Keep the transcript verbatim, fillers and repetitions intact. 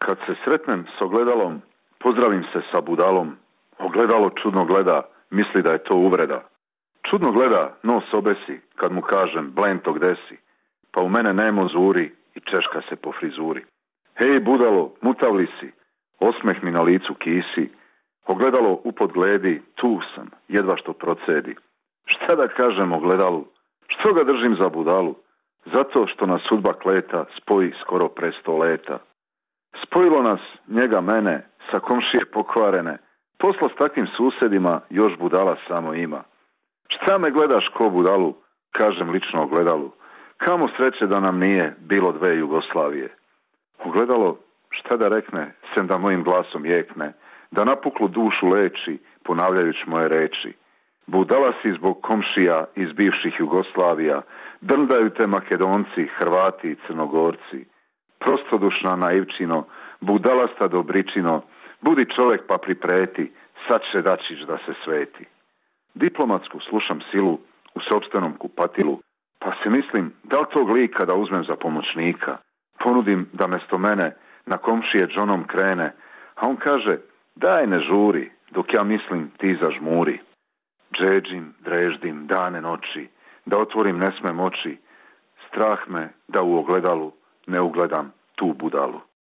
Kad se sretnem s ogledalom, pozdravim se sa budalom. Ogledalo čudno gleda, misli da je to uvreda. Čudno gleda, nos obesi, kad mu kažem, blento gde si? Pa u mene nemo zuri i češka se po frizuri. Hej budalo, mutavli si, osmeh mi na licu kisi. Ogledalo upod gledi, tu sam, jedva što procedi. Šta da kažem ogledalu? Što ga držim za budalu? Zato što nas sudba kleta spoji skoro pre sto leta. Spojilo nas, njega mene, sa komšije pokvarene. Posla s takvim susedima još budala samo ima. Šta me gledaš ko budalu? Kažem lično ogledalu. Kamo sreće da nam nije bilo dve Jugoslavije. Ogledalo, šta da rekne, sem da mojim glasom jekne, da napuklu dušu leči, ponavljajući moje reči. Budala si zbog komšija iz bivših Jugoslavija, drndaju te Makedonci, Hrvati i Crnogorci. Prostodušna naivčino, budalasta dobričino, budi čovek pa pripreti, sad će dačić da se sveti. Diplomatsku slušam silu u sopstvenom kupatilu, pa se mislim da li tog lika da uzmem za pomoćnika. Ponudim da mesto mene na komšije džonom krene, a on kaže, daj ne žuri, dok ja mislim ti zažmuri. Džeđim, dreždim, dane noći, da otvorim ne smem oči, strah me da u ogledalu ne ugledam tu budalu.